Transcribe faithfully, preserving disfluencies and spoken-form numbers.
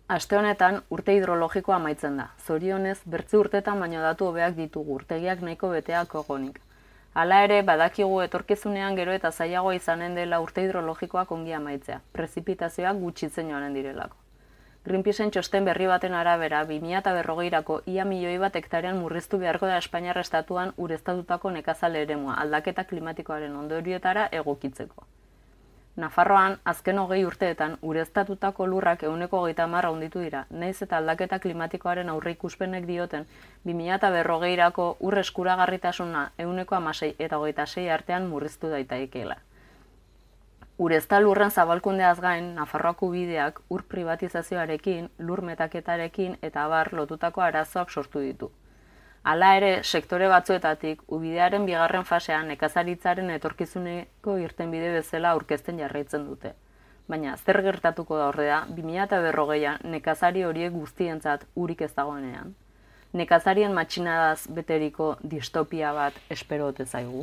Aste honetan urte hidrologikoa amaitzen da. Zorionez, bertzi urtetan baino datu hobeak ditugu, urtegiak nahiko beteak egonik. Hala ere, badakigu etorkizunean gero eta zailagoa izanen dela urte hidrologikoak ongi amaitzea, prezipitazioak gutxitzen joanen direlako. Greenpeaceen txosten berri baten arabera, bi mila berrogeirako ia milioi bat hektarean murriztu beharko da Espainiar estatuan ureztatutako nekazale eremua aldaketa klimatikoaren ondorioetara egokitzeko. Nafarroan, azken hogei urteetan, ureztatutako lurrak ehuneko hogeita hamar handitu dira, nahiz eta aldaketa klimatikoaren aurreikuspenek dioten, bi mila berrogeirako ur eskuragarritasuna ehuneko hamasei eta hogeita sei artean murriztu daitekeela. Urezta lurren zabalkundeaz gain, Nafarroako bideak ur privatizazioarekin, lur metaketarekin eta abar lotutako arazoak sortu ditu. Hala ere, sektore batzuetatik, ubidearen bigarren fasean nekazaritzaren etorkizuneko irtenbide bezala aurkezten jarraitzen dute. Baina, zer gertatuko da ordea, bi mila berrogeian nekazari horiek guztientzat urik ez dagoenean. Nekazarien matxinadaz beteriko distopia bat espero ote zaigu.